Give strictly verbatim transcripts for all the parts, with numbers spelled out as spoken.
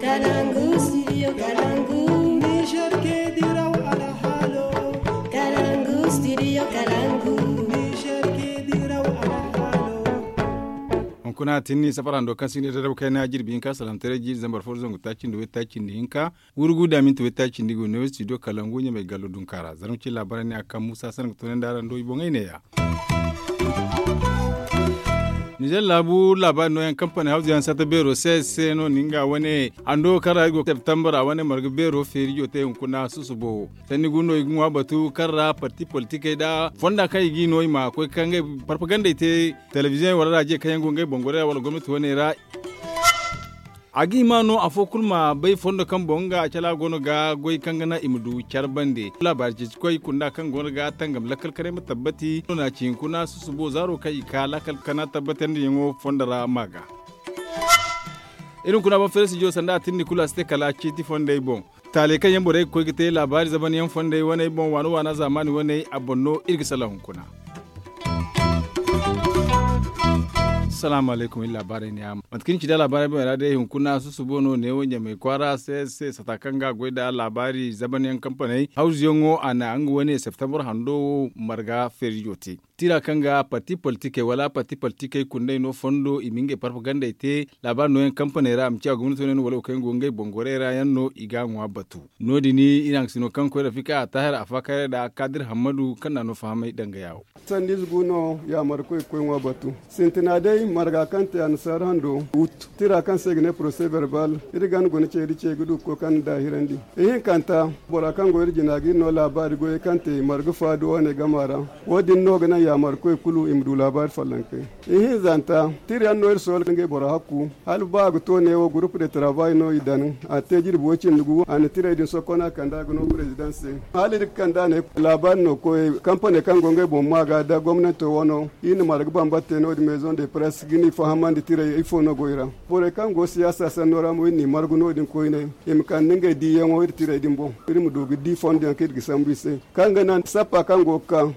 Kalangu, studio Kalangu. Niger ke diraw alhalo. Kalangu, studio Kalangu. Niger ke diraw alhalo. Hunkuna tinni safar hando kaŋ si ne dadabu kayna jirbi hinka salamtaray jiiri zambar fo zangu taaci nda way taaci nda hinka. Wurgu da minti way taaci nda ga no studio Kalangu ɲamay gallo dunka ra zarma ci laabaray ne a kaŋ musa sanda ga toonandi araŋ do i boŋey neeya. Nizer laabu laabaari nooyaŋ kampani hawzu yaŋ sata beero se se no ninga wane hando kaŋ ra i go septembre a wane marga beero feerijo te hunkuna susubo. Sanni gu no i ga ŋwa batu kaŋ ra parti politikey da fonda kaŋ i g'i no i ma koy ka ngey parpagandey te telebiziyoŋ wala raje kaŋ yaŋ go ngey bongorey ra wala gomnati wane ra. A ga hima no afo kulu ma bay fondo kaŋ boŋ nga cala go no ga goy kaŋ ga naŋ i ma du care bande. Laabaari ceeci koy kunda kaŋ go no ga tangam lakkal kanay ma tabbati no na ci hinkuna susubo zaaro kaŋ i ka lakkal kana tabbatandiyaŋo fondo ra ma ga. Iri hunkuna ban feere sijo sanda a tinni kulu a si te kala ciiti fondey boŋ. Taaley kaŋ yaŋ borey ga koy ga te laabaari zaban yaŋ fondey waney boŋ waana waana zaamaani waney a boŋ no iri ga salaŋ hunkuna. Salaamu alaykum iri laabaarey ne yaŋ mate kaŋ ni ci da laabaarey boŋ ra day hunkuna susubo no neewo ɲamay kwaara se se sata kaŋ ga a goy nda laabaari zaban yaŋ kampaney hawzuyaŋo a na nga wane septembre hando wo marga feerijo te. Tira kaŋ ga parti politikey wala parti politikey kundey no fondo i ma ngey parpagandey te laabaari nooyaŋ kampaney ra a ma ci a gomnati wane no wala wo kaŋ yaŋ go ngey bongorey ra yaŋ no i ga a ŋwa batu. No- din iri haŋ ga sino kaŋ koy rafika a taahir a faakayray nda kaadir hammadu kaŋ na no fahamay danga yaawo. Sandiize gu no yaamarkoy ga koy ŋwa batu sintina day marga kaŋ te annasaara hando wut tira kaŋ se i ga ne porose berbal. Iri ganda guna ce iri ce ga du ga koy kaŋ ni daahirandi ihinkanta bora kaŋ go iri jina ga iri no laabaari goyey kaŋ te marga faadu wane gama ra. Wo- din no ga naŋ yaamarkoy kulu i ma du laabaari follonkey. Ihinzanta tira yaŋ no iri soola ngey boro hakku hala ba a ga to neewo gurupu de tarabaay no i daŋ a te jirbi way cindi gu a na tirey din sokkon a kande a ga no president se. Hala iri ga kande a ne laabaari no koyey kampaney kaŋ go ngey boŋ maa ga nda gomnanto wano iri na marga bambata te no- din maison de presse ga ni fahamandi tirey ifo no go i ra. Borey kaŋ go siyaasa sanno ra mo iri n'i margu no- din koyne i ma kande ngey diiyaŋo iri tirey din boŋ iri ma du ga di fondo yaŋ kaŋ iri ga sambu i se kaŋ ga naŋ sappa kaŋ go ga ka.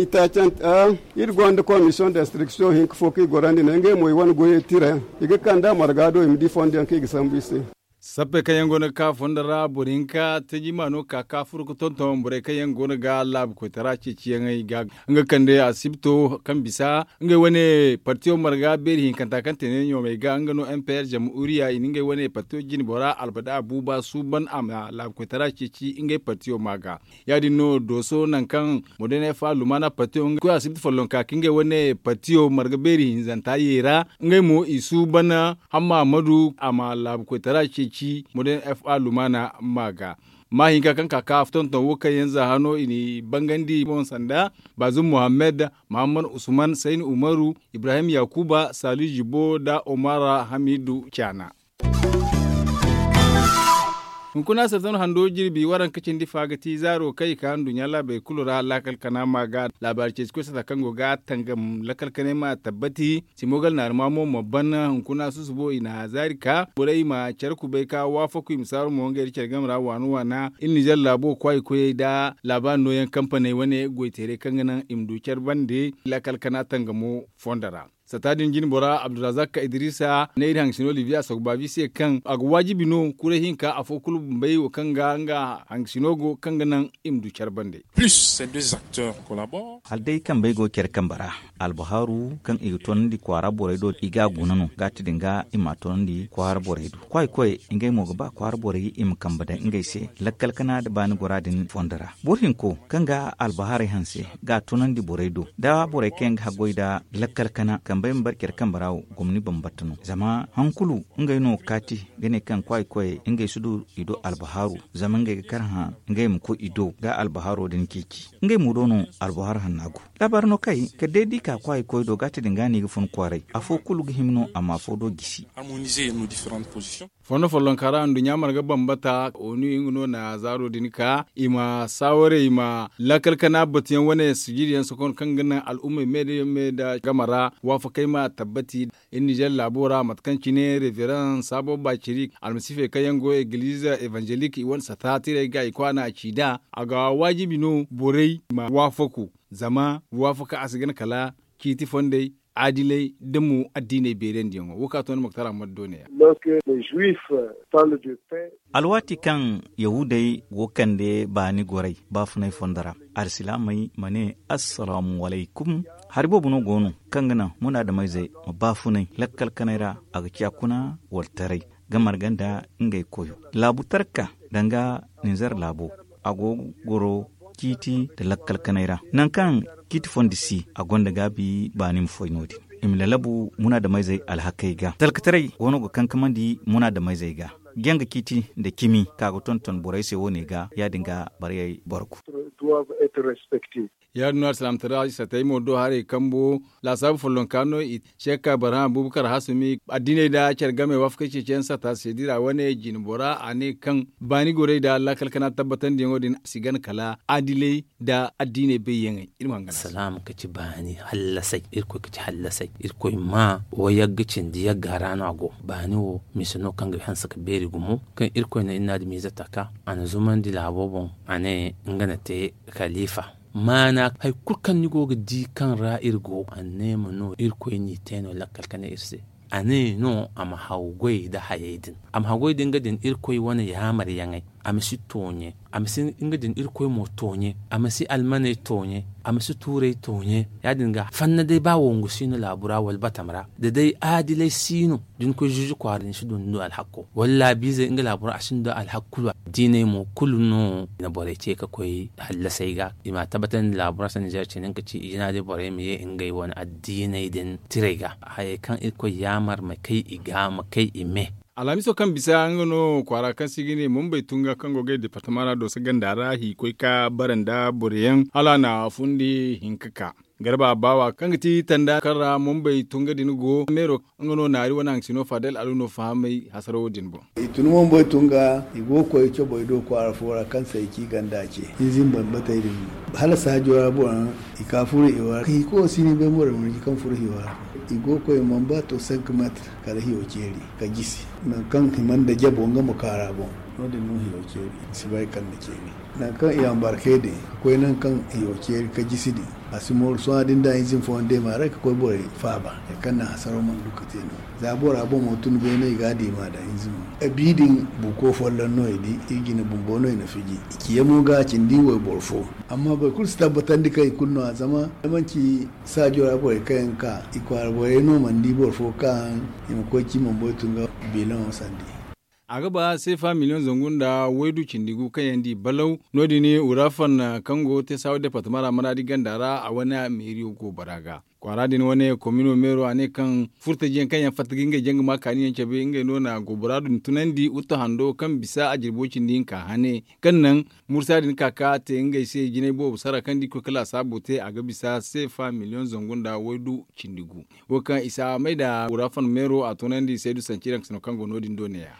Itaacante a iri gonda commission d'instruction hinka fo kaŋ i gorandi ne ngey mo i wane goyey tira yaŋ i ga kand'a marga do i ma di fondo yaŋ kaŋ i ga sambu i se. Sappey kaŋ yaŋ go no ga ka fondo ra boro hinka tajima no ga ka ka furo ga tonton borey kaŋ yaŋ go no ga laabu koytara ceeciyaŋey ga nga kande asibto kaŋ bisa ngey wane partiyo marga beeri hinkanta kaŋ te ne ɲoomey ga nga no m p r jamhuriya i na ngey wane partiyo jine bora albada abuba suuban a ma laabu koytara ceeci ngey partiyo ma ga. Ya- din no dooso nangu kaŋ modern f a lumana patiyo nga koy asibti follonka ka ngey wane patiyo marga beeri hinzanta yeera ngey mo i suuban hamma madu a ma laabu koytara ceeci modern f a lumana ma ga. Maahinka kaŋ ka ka tonton wo kaŋ yaŋ za hano i n'i bangandi boŋ sanda bazum muhammad, muhammad usman sayni umaru, ibrahim yakuba sali jibo nda omara hamidu caana. Hunkuna sezon hando jirbi waranka cindi fa ga ti zaaro kaŋ i ka nduɲɲa laabey kulu ra laakal kana ma ga laabaari ceeci koy sata kaŋ go ga tangam lakkal kanay ma tabbati simogal naarima mo ma ban hunkuna susubo i na zaari ka borey ma care kubay ka waafaku i ma saaru mo ngey da care game ra waana waana iri nizer laabo kwaay koyey nda laabaari nooyaŋ kampaney wane goyteerey kaŋ ga naŋ i ma du care bande lakkal kana tangamo fondo ra. Sata din jine bora abdurazak idrisa ne iri hangasino libiya sogbabi se kaŋ a ga waajibi no kuray hinka afo kulu bumbey wo kaŋ ga nga hangasino go kaŋ ga naŋ i ma du care bande. Plus ces deux acteurs collaborent. Hala day kambey go care kambe ra albahaaru kaŋ i ga toonandi kwaara borey do i ga a guna no ga ti din ga i ma a toonandi kwaara borey do kwaay koy ngey mo ga ba kwaara borey i ma kambe daŋ ngey se lakkal kana nda baani gora din fondo ra. Boro hinko kaŋ ga albahaarey hanse ga a toonandi borey do da borey kaŋ yaŋ ga haggoy nda lakkal kana kambey ma bare care kambe ra wo gomni bambata no zama han kulu ngey no ga kaati ga ne kaŋ kwaay koyey ngey si du i do albahaaru zama ngey ga kar hã ngey ma koy i do ga albahaaro din ceeci ngey mo do no albahaar hanna go. Laabaari no kay kala day da i ka kwaay koy do ga ti din ga no i ga fun kwaaray afo kulu ga hima no a ma afo do gisi. Fondo follonka ra nduɲɲa marga bambata onu nga no na zaaro din ka i ma saawaray i ma lakkal kana batuyaŋ wane sijiriyaŋ sokon kaŋ ga naŋ al'ummey me da game ra waafakey ma tabbati. Iri nizer laabo ra mate kaŋ cine reverend sabo baciri almasiifey kaŋ yaŋ go egilize evangelik i wane sata tirey ga i kwaana a ci nd'a a ga waajibi no borey ma waafaku zama waafaka a si gana kala ciiti fondey. aadilay da mo addiiney beerandiyaŋo wo kaŋ a to ni moktar ahmad do ne ya. Alwaati kaŋ yahuudey go ga kande baani goray baafunay fondo ra, alsilaamey ma ne, assalaamu alaykum. Hari boobo no go no kaŋ ga naŋ munaadameyzey ma baafunay lakkal kanay ra, a ga ciya kuna wala taray ga marga nda ngey koyo. Laabu tarka danga ninzar laabo, a go ga goro ciiti nda lakkal kanay ra. Nangu kaŋ ciiti fondi si, a gonda gaabi baani ma foy no- din. I ma lalabu munaadameyzey alhakey ga talkataray go no ga kankamandi munaadameyzey ga. Janga ciiti nda cimi ka ga tonton borey se wo- ne ga ya- din ga barayey borku. Ya- din no alsilaamataray satey mo do haray kambo laasaabu follonka no i se ga ka barhama buubu kar hasumi addiiney nda care game waafakey ceeciyaŋ sata se dira wane jinbora a ne kaŋ baani gorey nda lakkal kana tabbatandiyaŋo din si gana kala adiley nda addiiney bayyaŋey. Iri ma hangan a se. Salaam ka ci baani hallasay. Irkoy ka ci hallasay. Irkoy ma wayagga cindi yagga ra no a go. Baani wo mise no kaŋ ga hanse ka beeri gumo kaŋ irkoy na iri na adamiize taka a na zumandi laabo boŋ. A ne nga na te kaliifa maana hari kulu kaŋ ni go ga di kaŋ ra iri go a ne ma no irkoy n'i te no lakkal ka ne iri se. A ne no a ma hawgoy nda hayey din. A ma hawgoy din ga din irkoy wane yaamaryaŋey. A ma si tooɲe. A ma si nga din irkoy mo tooɲe. A ma si almaney tooɲe. A ma si tuurey tooɲe. Ya- din ga fanna day ba wongu si no laabu ra wala batam ra da day aadilay si no da ni koy zuuzu kwaara din si du ni do alhakko wala laabiizey nga laabu ra a si ni do alhakku. Diiney mo kulu no na borey ce ka koy hallasey ga i ma a tabbatandi laabu ra sanda nizeer cine nga ci i jina day borey ma ye ngey wane addiiney din tirey ga. Hayey kaŋ irkoy yaamar ma kay i ga ma kay i me. Alhamiso kaŋ bisa nga no kwaara kaŋ se i ga ne mumbay tunga kaŋ go ga ay departama ra dooso ganda ra hikoy ka bara nda boroyaŋ hala a na fundi hinka ka garba baawa kaŋ ga ti tanda kaŋ ra mumbay tunga din go meero nga no naari wane haŋ sino fadel alu no fahamay hasaro din boŋ. I tun mumbay tunga i go ga koy cobey do kwaara fo ra kaŋ se i ci ganda ce. Hinza i bambatey din hala saajo ra boro i ka furo hiyo ra hiko si ni bay moro marji kaŋ furo hiyo ra. I go ga koy mamba to cinq metre kala hiyo ceeri ka jisi nangu kaŋ hima nda jabo nga ma kaara boŋ. No- din no hiyo ceeri i si bay kala nda ceeri nangu kaŋ i ambarke din ka koy nangu kaŋ hiyo ceeri ka jisi din. A si mooru sohõ da ni da hinzin fooyaŋ deema ra ka koy borey faaba hari kaŋ naŋ hasaro mana du ka te no. Za bora boŋ mo tun beene i ga a diima da hinzin mo. Bi din buuko folloŋ no i di i jine bumbo no i na fiji. I ciya mo ga a cindi wayboro fo. Amma boro kulu si tabbatandi kaŋ i kulu no- ya zama da manci saajo ra borey kaŋ yaŋ ga ka i kwaara borey no mana di boro fo kaŋ i ma koy ci mana boy tun ga biilaŋo sandi. A ga ba seefa miliyoŋ zangu nda waydu cindi gu kaŋ yaŋ di balaw no- din urafan kaŋ go teesaawa departama ra maraadi ganda ra a wane meeriyo go bora ga. Kwaara din wane komino meero a ne kaŋ furtajiyaŋ kaŋ yaŋ fatta ga ngey jaŋ ga ma kaaniyaŋ cabe ngey no na gobora din tunandi wuttu hando kaŋ bisa a jirbo cindi hinka hane kaŋ naŋ mursa din ka ka te ngey se jinay boobo sara kaŋ da i koy ka laasaabu te a ga bisa seefa miliyoŋ zangu nda waydu cindi gu. Wo kaŋ isa may da wurafan meero a tunandi saydu sanci daŋ kasano kaŋ go no- din do ne- ya.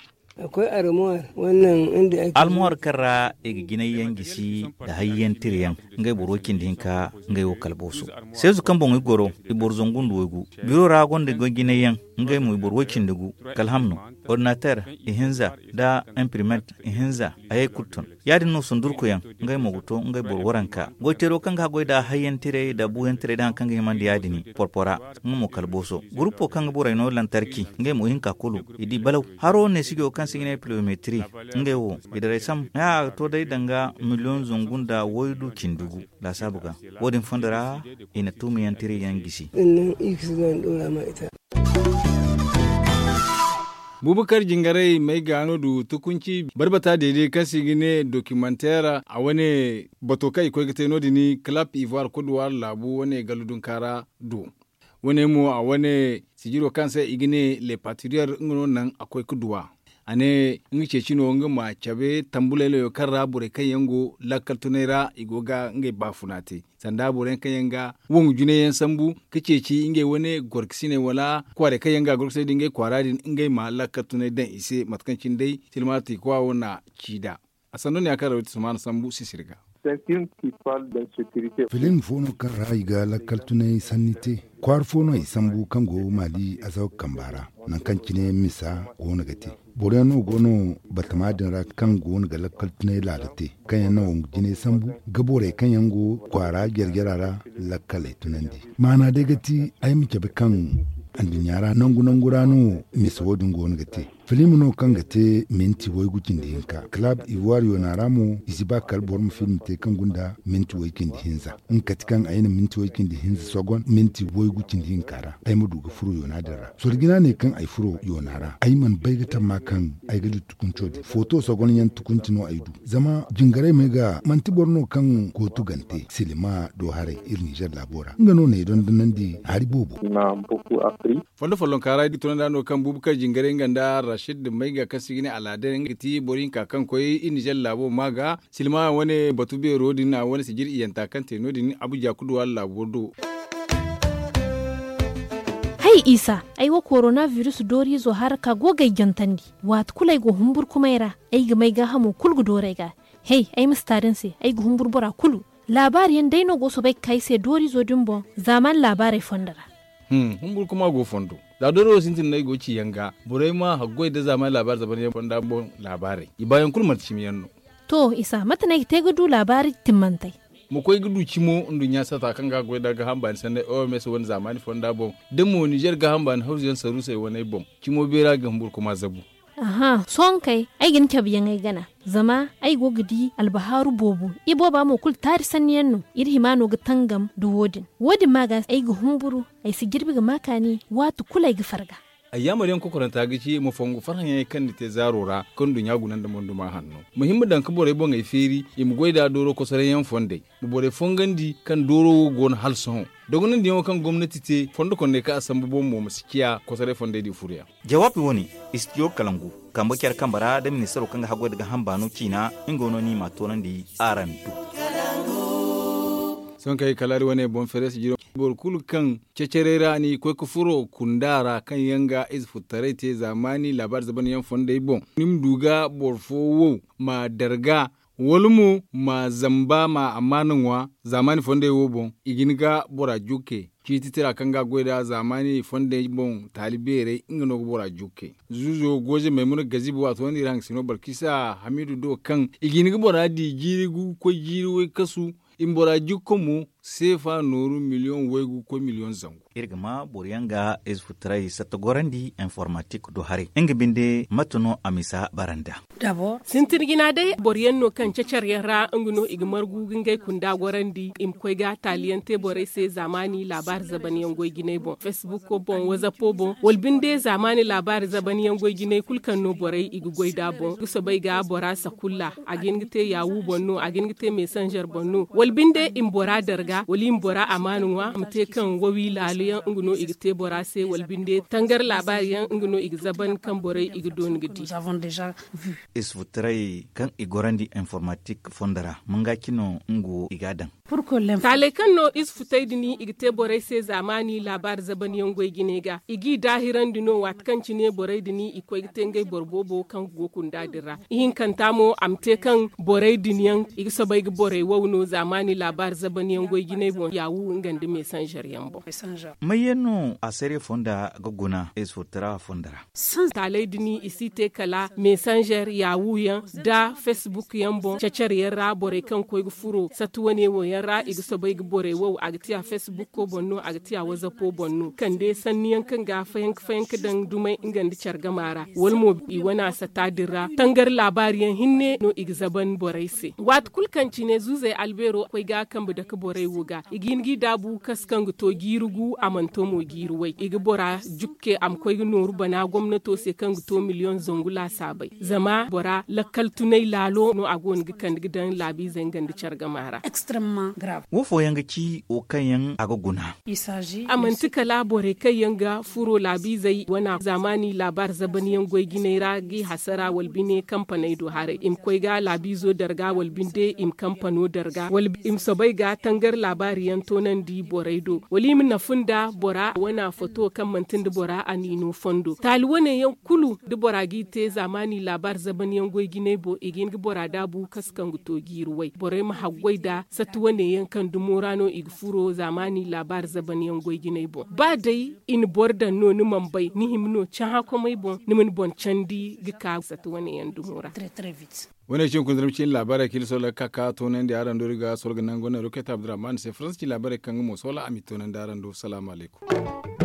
Almuwar kaŋ ra i ga jinay yaŋ gisi nda hayyaŋ tira yaŋ ngey boro way cindi hinka ngey wo kala booso. Seezu kaŋ boŋ i goro i boro zangu nda waygu biro ra gonda goy jinay yaŋ ngey mo i boro way cindi gu kala hamno, ordinateer, ihinza nda imprimeet ihinza. Hayey kulu ton ya- din no sundurkuyaŋ ngey mo ga to ngey boro waranka goyteero kaŋ ga haggoy nda hayyaŋ tirey nda buuyaŋ tirey nda hari kaŋ ga himandi ya- din porpora. Nga mo kala booso gurupo kaŋ ga borey no lantarki ngey mo ihinka kulu i di balaw. Haro neesijo kaŋ se i ga ne pilometiri ngey wo i daray sam haya a ga to day danga miliyoŋ zangu nda waydu cindi gu. Laasaabu ga wo- din fondo ra i na tuumiyaŋ tiriyaŋ gisi. Bubakar jingaray may ga no du tukunci barbata deede kaŋ se i ga ne dokimanteer a wane bato kaŋ i koy ga te no- din kalap ivoire kuduwar laabu wane gallu dunkaara do. Wane mo a wane sijiro kaŋ se i ga ne le patriyar nga no naŋ a koy ga duwa. A ne nga ceeci no nga ma cabe tambulay layo kaŋ ra borey kaŋ yaŋ go lakkal tunay ra i go ga ngey baafuna te sanda boroyaŋ kaŋ yaŋ ga wongu junay yaŋ sambu ka ceeci ngey wane gorkasiney wala kwaarey kaŋ yaŋ ga gorkasiney da ngey kwaara din ngey ma lakkal tunay daŋ i se mate kaŋ cine day silmaati kwa wo na ci nd'a. A sanno ne ya kaŋ rawaytu sumaana sambu sisiri ga. Film fo no kaŋ ra i ga lakkal tunay sanni te. Kwaara fo no i sambu kaŋ go maali azawa kamba ra nangu kaŋ cine misa go no ga te. Boro yaŋ no go no batama din ra kaŋ go no ga lakkal tunay laala te, kaŋ yaŋ na wongu jinay sambu ga borey kaŋ yaŋ go kwaara jare-jara ra lakkaley tunandi. Maana day ga ti ay ma cabe kaŋ anduɲɲa ra nangu nangu ra no misa wo- din go no ga te. Film no kaŋ ga te minti waygu cindi hinka club ivoire yoona ra mo i si ba kala boro ma film te kaŋ gunda minti way cindi hinza. Nga kati kaŋ ay na minti way cindi hinza sogon minti waygu cindi hinka ra ay ma du ga furo yoona din ra. Sorjina ne kaŋ ay furo yoona ra ay mana bay ga tamma kaŋ ay ga du tukunco din foto sogon yaŋ tukunci no ay du. Zama jingaray may ga manti boro no kaŋ kootu gante silima do haray iri nizer laabo ra nga no na ay dondonandi hari boobo. Fondo follonka ra i di tunanda no kaŋ buubu kaŋ jingaray nga nda rashid mayga kaŋ se i ga ne alaadar nga ga ti boro hinka kaŋ koy i nizer laabo ma ga silma wane batu beero din a wane sijir iyanta kaŋ te no- din abuja kuduwa laabo do. Hay isa, ay wo korona virus dooriizo haraka go ga ay jantandi. Waati kulu ay go humburkumay ra, ay ga may gaahamo kulu ga doori ay ga. Hay, ay ma si taari ni se, ay ga humburu bora kulu. Laabaari yaŋ day no go soobay ga ka ay se dooriizo din boŋ zaamaani laabaarey fondo ra. Humburu kuma go fondo. Za dooro wo sintin no ay go ga ci yaŋ ga borey ma haggoy nda zaamaani laabaari zaban yaŋ fonda boŋ laabaarey i baayaŋ kulu manti cimi yaŋ no. To isa mate no ay ga te ga du laabaari timmantey? Ma koy ga du cimo nduɲɲa sata kaŋ ga goy nda gaaham baani sanney oms wane zaamaani fonda boŋ da mo nizer gaaham baani hawzu yaŋ saruusey waney boŋ. Cimo beera ga humburu kuma zabu. Sohõ kay, ay ga ni cabe yaŋ ay gana. Zama ay go ga di albahaaru boobo. Ibooba mo kulu taari sanni yaŋ no. Iri hima no ga tangam nda wo- din. Wo- din ma ga ay ga humburu, ay si jirbi ga ma kaani waati kulu ay ga farga. Ayyaamar yaŋ kokoranta ga ci ma fongu farhã yaŋey kaŋ ni te zaaro ra kaŋ nduɲɲa guna nda monduma hanno. Ma hin ma daŋ ga borey boŋey feeri i ma goy nda dooro kosoray yaŋ fondey. Ma borey fongandi kaŋ dooro wo go no hala sohõ. Dogonandiyaŋo kaŋ gomnati te fondo kondey kaŋ a sambu boŋ mo ma si ciya kosoray fondey di furoyaŋ. Jawaabi wo- ne, istiyo kalangu kambe care kambe ra da ministaro kaŋ ga haggoy nda gaaham baano ciina. Nga no ni m'a toonandi araŋ do. Sohõ kaŋ ay kalaari wane boŋ feere sijiro boro kulu kaŋ cecerey ra ni ga koy ga furo kunda ra kaŋ yaŋ ga ize futtaray te zaamaani laabaari zaban yaŋ fondey boŋ ni ma du ga boro fo wow ma darga wala mo ma zamba ma amaana ŋwa. Zaamaani fondey wo boŋ i ga hin ga bora jukke ciiti tira kaŋ ga a goy nd'a zaamaani fondey boŋ taali beerey nga no ga bora jukke. Zuuzo gooze maymuna gazibi waato no iri hangasino balkisa hamiidu do kaŋ i ga hin ga bora di jiiri gu ga koy jiiri waykasu. I ma bora jukka mo seefa nooru miliyoŋ waygu ga koy miliyoŋ zangu. Iri ga ma boro yaŋ ga ize futtaray satta gorandi informatik do haray nga binde mate no a misa bara nd'a? Sintin jina day boro yaŋ no kaŋ cecer yaŋ ra nga no i ga margu ga ngey kunda gorandi i ma koy ga taaliyaŋ te borey se zaamaani laabaari zaban yaŋ goy jinay boŋ facebook boŋ wazapo boŋ wala binde zaamaani laabaari zaban yaŋ goy jinay kulu kaŋ no borey i ga goy nd'a boŋ ga soobay ga bora sakulla a ga hin ga te yaawu boŋ no a ga hin ga te mesanzer boŋ no wala binde i ma bora darga wala i ma bora amaana ŋwa a ma te kaŋ wawi laalo yaŋ nga no i ga te bora se wala binde tangar laabaari yaŋ nga no i ga zaban kaŋ borey i ga dooni ga di. Isfutaray kaŋ i gorandi informatik fondo ra manga cino nga wo i ga a daŋ. Taaley kaŋ no ize futey din i ga te borey se zaamaani laabaari zaban yaŋ goy jinay ga i g'i daahirandi no waati kaŋ cine borey din i koy ga te ngey boro boobo kaŋ go kunda din ra ihinkanta mo a ma te kaŋ borey din yaŋ i ga soobay ga borey wow no zaamaani laabaari zaban yaŋ goy jinay boŋ yaawu nga nda mesanzer yaŋ boŋ. May yaŋ no a sariya fonda ga guna ize futara fonda ra? Taaley din i si te kala mesanzer yaawu yaŋ nda facebook yaŋ boŋ cecer yaŋ ra borey kaŋ ga koy ga furo sati wane wo yaŋ ra i ga soobay ga borey wow a ga ti a facebook boŋ no a ga ti a wazapo boŋ no kande sanni yaŋ kaŋ ga fayanka fayanka daŋ dumay nga nda care gama ra wala mo i wane a sata din ra tangar laabaari yaŋ hinne no i ga zaban borey se waati kulu kaŋ cine zuuzey albeero koy ga kambe dake borey wo ga i ga hin g'i daabu kasu kaŋ ga to jiiri gu a mana to mo jiiri way i ga bora jukke a ma koy ga nooru bana gomnato se kaŋ ga to miliyoŋ zangu laasaabey zama bora lakkal tunay laalo no a go no ga kande ga daŋ laabiizey nga nda care gama ra. Wo fooyaŋ ga ci wo kaŋ yaŋ a ga guna? A manti kala borey kaŋ yaŋ ga furo laabiizey wana zaamaani laabaari zaban yaŋ goy jinay ra g'i hasara wala bine kampaney do haray i ma koy ga laabiizo darga wala binde i ma kampano darga wala i ma soobay ga tangar laabaari yaŋ toonandi borey do wala i ma nafu nda bora wana foto kaŋ manti nda bora a niino fondo taali wane yaŋ kulu da bora g'i te zaamaani laabaari zaban yaŋ goy jinay boŋ i ga hin ga bora daabu kasu kaŋ ga to jiiri way borey ma haggoy nda satti wane. Ne yaŋ kaŋ dumo ra no i ga furo zaamaani laabaari zaban yaŋ goy jinay boŋ ba day i na boro daŋ no ni mana bay ni hima no cahã komey boŋ ni ma ni boŋ candi ga ka sata wane yaŋ dumo ra. Wane cin kunzurmi cin laabaarey kaŋ iri soola ga ka ka toonandi araŋ do iri ga soola ga nangu wane roket abdurrahman se faransa cin laabaarey kaŋ nga mo soola a ma i toonandi araŋ do salaamu alaykum.